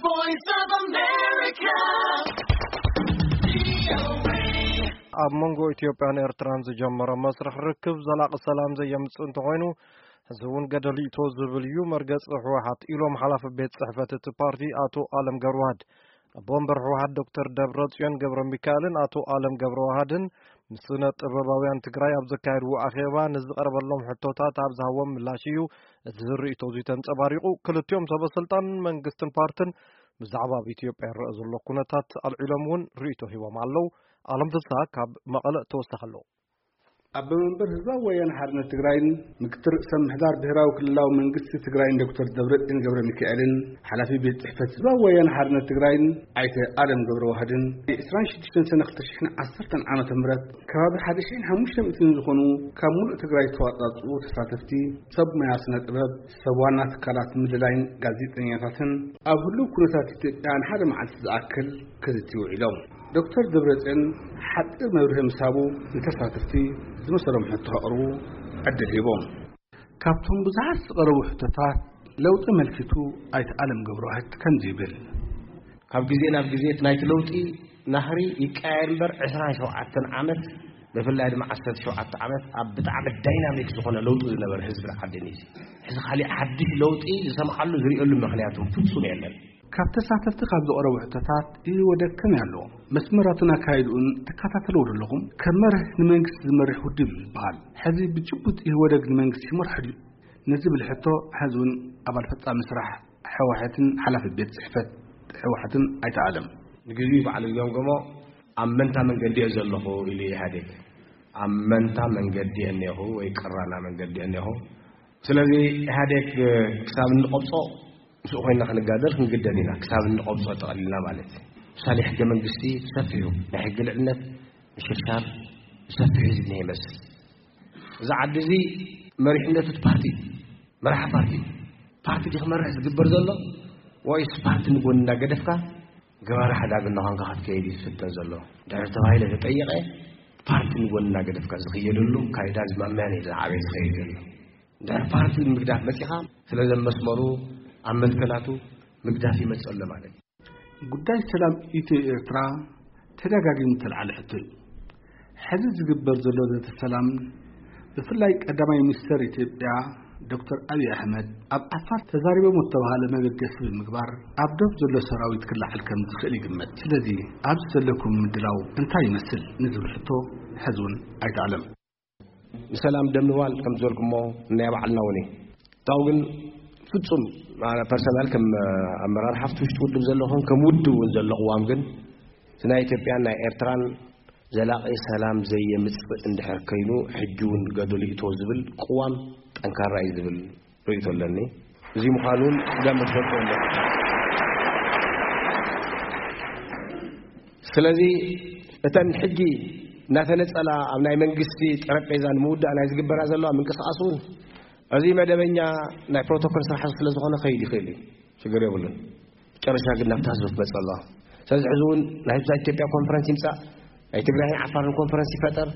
Voice of America. ኣብ መንጎ ኢትዮጵያን ኤርትራን ዝጀመረ መስርሕ ርክብ ዘላቒ ሰላም ዘየምጽእ እንተኾይኑ፣ እዚ እውን ገደል ይእቶ ዝብል እዩ መርገጺ ህወሓት ኢሎም ሓላፊ ቤት ጽሕፈት እቲ ፓርቲ ኣቶ ኣለም ገብረዋህድ። ኣቦ ወንበር ህወሓት ዶክተር ደብረጽዮን ገብረ ሚካኤልን ኣቶ ኣለም ገብረዋህድን ምስ ስነ ጥበባውያን ትግራይ ኣብ ዘካየድዎ ኣኼባ ንዝቐረበሎም ሕቶታት ኣብ ዝሃቦም ምላሽ እዩ እዚ ርእይቶ እዚ ተንጸባሪቑ። ክልቲኦም ሰበ ስልጣን መንግስትን ፓርትን ብዛዕባ ኣብ ኢትዮጵያ ይረአ ዘሎ ኩነታት ኣልዒሎም እውን ርእይቶ ሂቦም ኣለዉ። ኣለም ፍስሃ ካብ መቐለ ተወሳኺ ኣለዎ። ኣቦ መንበር ህዝባዊ ወያነ ሓርነት ትግራይን ምክትል ርእሰ ምሕዳር ብሄራዊ ክልላዊ መንግስቲ ትግራይን ዶክተር ደብረጽዮን ገብረ ሚካኤልን ሓላፊ ቤት ጽሕፈት ህዝባዊ ወያነ ሓርነት ትግራይን ኣይተ ኣለም ገብረ ዋህድን ዕስራን ሽዱሽተን ሰነ ክልተ ሽሕን ዓሰርተን ዓመተ ምህረት ከባቢ ሓደ ሽሕን ሓሙሽተ ሚእትን ዝኾኑ ካብ ሙሉእ ትግራይ ዝተዋጻጽኡ ተሳተፍቲ ሰብ ሞያ ስነ ጥበብ፣ ሰብ ዋና ትካላት ምልላይን ጋዜጠኛታትን ኣብ ህሉው ኩነታት ኢትዮጵያ ንሓደ መዓልቲ ዝኣክል ክዝቲ ውዒሎም። ዶክተር ደብረጽዮን ሓጺር መብርሂ ምስ ሃቡ ንተሳተፍቲ ዝመሰሎም ሕቶ ከቕርቡ ዕድል ሂቦም። ካብቶም ብዙሓት ዝቐረቡ ሕቶታት ለውጢ ኣመልኪቱ ኣይተ ኣለም ገብረዋህድ ከምዚ ይብል። ካብ ግዜ ናብ ግዜ እቲ ናይቲ ለውጢ ናህሪ ይቀያየር እምበር ዕስራን ሸውዓተን ዓመት ብፍላይ ድማ ዓሰርተ ሸውዓተ ዓመት ኣብ ብጣዕሚ ዳይናሚክ ዝኾነ ለውጢ ዝነበረ ህዝብን ዓድን እዩ። ሕዚ ካሊእ ሓድሽ ለውጢ ዝሰምዓሉ ዝርእየሉ ምኽንያት እውን ፍጹም የለን። ካብ ተሳተፍቲ ካብ ዝቐረቡ ሕቶታት ኢህወደግ ከመይ ኣሎ? መስመራቱን ኣካይድኡን ትከታተልዎ ዶ ኣለኹም? ከም መርህ ንመንግስቲ ዝመርሕ ውድብ እዩ ዝበሃል። ሕዚ ብጭቡጥ ኢህወደግ ንመንግስቲ ይመርሖ ድዩ? ንዝብል ሕቶ ሕዚ እውን ኣባል ፈጻሚ ስራሕ ህወሓትን ሓላፊ ቤት ጽሕፈት ህወሓትን ኣይተ ኣለም። ንግዚኡ ባዕሉ ዝገምገሞ ኣብ መንታ መንገዲ እየ ዘለኹ ኢሉ ኢህኣዴግ። ኣብ መንታ መንገዲ እየ እኒኹ ወይ ቅራና መንገዲ እየ እኒኹ። ስለዚ ኢህኣዴግ ክሳብ እንቆብጾ ምስኡ ኮይንና ክንጋደል ክንግደድ ኢና። ክሳብ እንቆብጾ ጠቕሊልና ማለት እዩ። ምሳሌ ሕገ መንግስቲ ብሰፊሑ ናይ ሕጊ ልዕልነት ምሽርሻር ብሰፊሑ ዝግነ ይመስል። እዚ ዓዲ እዚ መሪሕነቱ እቲ ፓርቲ፣ መራሒ ፓርቲ፣ ፓርቲ ድዩ ክመርሕ ዝግበር ዘሎ ወይስ ፓርቲ ንጎኒ እናገደፍካ ገባሪ ሓዳግ እናኾንካ ክትከይድ እዩ ዝፍተን ዘሎ? ድሕሪ ተባሂለ ተጠየቐ፣ ፓርቲ ንጎኒ እናገደፍካ ዝኽየደሉ ካይዳ ዝማምያን እዩ ዝዓበየ ዝኸይድ ዘሎ። ድሕሪ ፓርቲ ምግዳፍ መፂኻ፣ ስለ ዘመስመሩ ኣብ መትከላቱ ምግዳፍ ይመፅእ ኣሎ ማለት እዩ። ጉዳይ ሰላም ኢትዮ ኤርትራ ተደጋጊሙ ተልዓለ ሕቶ እዩ። ሕዚ ዝግበር ዘሎ ዘተ ሰላም ብፍላይ ቀዳማይ ሚኒስተር ኢትዮጵያ ዶክተር ኣብይ ኣሕመድ ኣብ ዓፋር ተዛሪቦም ዝተባሃለ መበገሲ ብምግባር ኣብ ዶብ ዘሎ ሰራዊት ክለዓል ከም ዝኽእል ይግመት። ስለዚ ኣብዚ ዘለኩም ምድላው እንታይ ይመስል ንዝብል ሕቶ ሕዚ እውን ኣይተኣለም። ንሰላም ደም ንባል ከም ዝበልኩሞ ናይ ባዕልና እውን እዩ። ታው ግን ፍጹም ፐርሰናል ከም ኣመራርሓ ኣብቲ ውሽጢ ውድብ ዘለኹን ከም ውድብ እውን ዘሎ ቅዋም ግን እቲ ናይ ኢትዮጵያን ናይ ኤርትራን ዘላቒ ሰላም ዘየምጽእ እንድሕር ከይኑ ሕጂ እውን ገደሉ ይእቶ ዝብል ቅዋም ጠንካራ እዩ ዝብል ርእይቶ ኣለኒ። እዚ ምዃኑ እውን ደም ትፈልጡ ኣለኹም። ስለዚ እተን ሕጂ እናተነጸላ ኣብ ናይ መንግስቲ ጠረጴዛ ንምውዳእ ናይ ዝግበራ ዘለዋ ምንቅስቓስ እውን እዚ መደበኛ ናይ ፕሮቶኮል ስራሕ ስለ ዝኾነ ከይድ ይኽእል እዩ፣ ሽግር የብሉን። ጨረሻ ግን ናብታ ህዝቢ ትመጽእ ኣለዋ። ስለዚ ሕዚ እውን ናይ ህዝብታት ኢትዮጵያ ኮንፈረንስ ይምጻእ፣ ናይ ትግራይን ዓፋርን ኮንፈረንስ ይፈጠር፣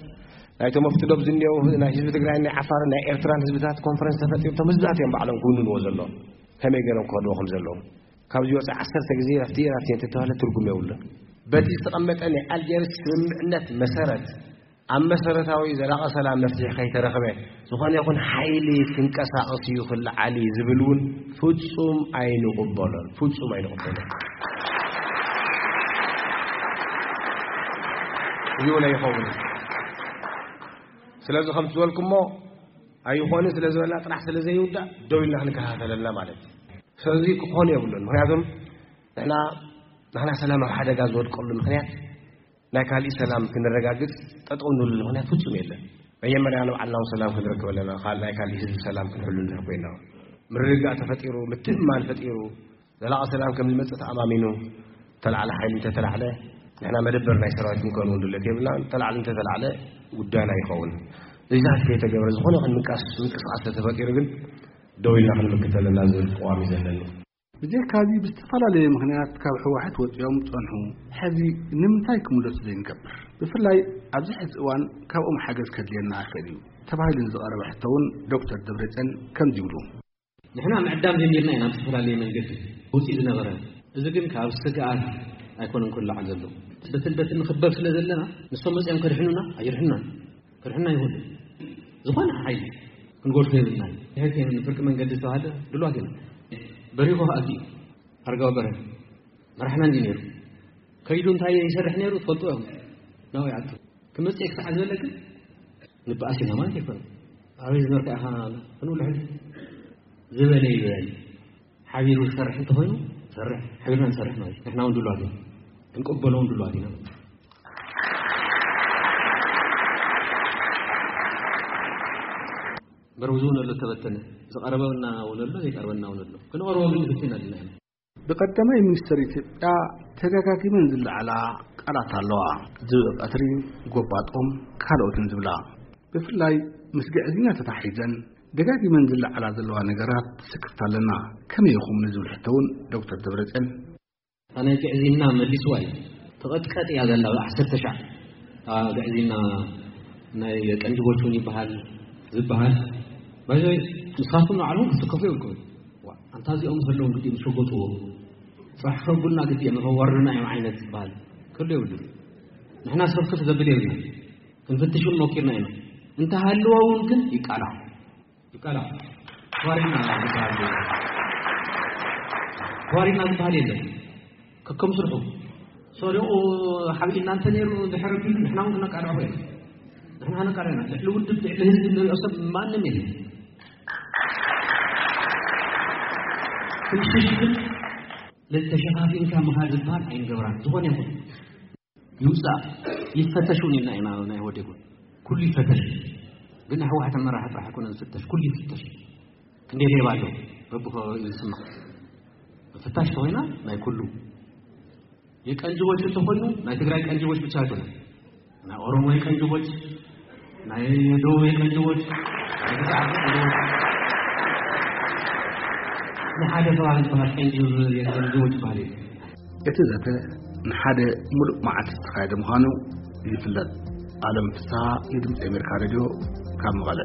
ናይቶም ኣብቲ ዶብ ዝኒአው ናይ ህዝቢ ትግራይን ናይ ዓፋርን ናይ ኤርትራን ህዝብታት ኮንፈረንስ ተፈጢሩ እቶም ህዝብታት እዮም ባዕሎም ክውንንዎ ዘለዎም ከመይ ገይሮም ክኸድዎ ከም ዘለዎም። ካብዚ ወፃኢ ዓሰርተ ግዜ ናብቲ ናብቲ እንተተባህለ ትርጉም የብሉን። በቲ ዝተቐመጠ ናይ ኣልጀርስ ስምምዕነት መሰረት ኣብ መሰረታዊ ዘላቒ ሰላም መፍትሒ ከይተረኽበ ዝኾነ ይኹን ሓይሊ ክንቀሳቐስ እዩ ክለዓል እዩ ዝብል እውን ፍጹም ኣይንቕበሎን፣ ፍጹም ኣይንቕበሎን። እዚ እውን ኣይኸውን። ስለዚ ከምቲ ዝበልኩሞ ኣይኾንን ስለ ዝበልና ጥራሕ ስለ ዘይውዳእ ደው ኢልና ክንከታተለልና ማለት እዩ። ስለዚ ክኾን የብሉን። ምክንያቱም ንሕና ንሕና ሰላም ኣብ ሓደጋ ዝወድቀሉ ምክንያት ናይ ካሊእ ሰላም ክንረጋግጽ ጠጠው ንብለሉ ምክንያት ፍጹም የለን። መጀመርያ ንባዕልና እውን ሰላም ክንረክብ ኣለና፣ ካል-፣ ናይ ካሊእ ህዝቢ ሰላም ክንሕሉ እንድሕር ኮይና። ምርግጋእ ተፈጢሩ፣ ምትእምማን ፈጢሩ፣ ዘላቒ ሰላም ከም ዝመጽእ ተኣማሚኑ፣ ተላዕለ ሓይሊ እንተተላዕለ፣ ንሕና መደበር ናይ ሰራዊት ክንከውን እውን ድሌት የብልና። ተላዕለ እንተተላዕለ ጉዳይና ይኸውን። እዚታት ከይተገብረ ዝኾነ ይኹን ምንቃስ-፣ ምንቅስቃስ ተተፈጢሩ ግን ደው ኢልና ክንምክት ኣለና ዝብል ቅዋም እዩ ዘለኒ። ብዘይካዚ ብዝተፈላለየ ምኽንያት ካብ ህወሓት ወፂኦም ፀንሑ። ሕዚ ንምንታይ ክምለሱ ዘይንገብር? ብፍላይ ኣብዚ ሕዚ እዋን ካብኦም ሓገዝ ከድልየና ይኽእል እዩ ተባሂሉ ንዝቐረበ ሕቶ እውን ዶክተር ደብረፅዮን ከምዚ ይብሉ። ንሕና ምዕዳም ጀሚርና ኢና ብዝተፈላለየ መንገዲ ውፅኢ ዝነበረ። እዚ ግን ካብ ስግኣት ኣይኮነን ክልዓል ዘሎ። በትን በትን ንኽበብ ስለ ዘለና፣ ንሶም መፅኦም ከድሕኑና ኣይርሕኑናን። ከድሕኑና ይኽእሉ። ዝኾነ ሓይሊ ክንጎድፎ የብልናን። ድሕር ከይምን ፍርቂ መንገዲ ዝተባሃለ ድልዋት ኢና። በሪኹ ከኣ ኣትዩ። ኣረጋዊ በርሀ መራሕና እንዲ ነይሩ። ከይዱ እንታይ ይሰርሕ ነይሩ ትፈልጡ ኢኹም። ናው ይኣቱ። ክመፅእ ክሳዕ ዝበለ ግን ንበኣስ ኢና ማለት ኣይኮነን። ኣበይ ዝነበርካ ኢኻ ክንብሎ ሕዚ ዝበለ ይበል። ሓቢሩ ዝሰርሕ እንተኾይኑ ሰርሕ፣ ሓቢርና ንሰርሕ ማለት እዩ። ንሕና እውን ድሉዋት ኢና። ክንቅበሎ እውን ድሉዋት ኢና። እምበር ብዙ እውን ኣሎ ተበተነ። ዝቐረበና እውን ኣሎ፣ ዘይቀረበና እውን ኣሎ። ክንቐርቦ ግን ግድን ኣለና ኢና። ብቀዳማይ ሚኒስትር ኢትዮጵያ ተደጋጊመን ዝለዓላ ቃላት ኣለዋ። ዝብኢ ቀትሪ፣ ጎባጦም፣ ካልኦትን ዝብላ። ብፍላይ ምስ ግዕዝይና ተታሒዘን ደጋጊመን ዝለዓላ ዘለዋ ነገራት ትስክፍታ ኣለና። ከመይ ኢኹም ንዝብል ሕቶ እውን ዶክተር ደብረፅዮን፣ እታ ናይ ግዕዝይና መሊስዋ እዩ። ተቐጥቀጥ እያ ዘላ ብዓሰርተ ሻዕ። እታ ግዕዝይና ናይ ቀንጅቦች እውን ይበሃል ዝበሃል። ባይዘይ ንስኻትኩም ንባዕልኹም ክትስከፉ የብልኩም። ዋ፣ ኣንታ እዚኦም ዘለዎም ግዲ ምስ ሸጎጥዎ፣ ጽባሕ ከብሉና ግዲ እዮም፣ ከዋርዱና እዮም ዓይነት ዝበሃል ክህሉ የብሉን። ንሕና ስኽፍክፍ ዘብል የብልና። ክንፍትሽ እውን ሞኪርና ኢና። እንተሃለዋ እውን ግን ይቃላዕ። ይቃላዕ። ተዋሪድና ዝበሃል የለን። ተዋሪድና ዝበሃል የለን። ከከም ስርሑ። ሰሪቑ ሓቢእና እንተ ነይሩ ድሕሪ ኣቢሉ ንሕና እውን ክነቃልዖ ኢና። ንሕና ክነቃልዖ ኢና። ልዕሊ ውድብ፣ ልዕሊ ህዝቢ ንሪኦ ሰብ ማንም የለን። ክንሽሽ ግን ተሸፋፊንካ ምኻድ ዝበሃል ኣይንገብራን። ዝኾነ ይኹን ይውፃእ፣ ይፈተሽ እውን ኢልና ኢና። ናይ ኢህወዴግ እውን ኩሉ ይፈተሽ። ግን ናይ ህወሓት ኣመራርሓ ጥራሕ ኣይኮነን ዝፍተሽ፣ ኩሉ ይፍተሽ። ክንደይ ሌባ ኣሎ በብኸባቢኡ ዝስማዕ። ምፍታሽ ተኾይና ናይ ኩሉ። የቀንጅቦች እንተኾይኑ ናይ ትግራይ ቀንጅቦች ብቻ ኣይኮነን። ናይ ኦሮሞ የቀንጅቦች፣ ናይ ደቡብ የቀንጅቦች፣ ናይ ግዛዕ የቀንጅቦች፣ ንሓደ ከባቢ ዝበሃል ቀንጅብ የቀንጅቦች ዝበሃል የለን። እቲ ዘተ ንሓደ ሙሉእ መዓልቲ ዝተኻየደ ምዃኑ ይፍለጥ። ኣለም ፍስሃ ንድምፂ ኣሜሪካ ሬድዮ ካብ መቐለ።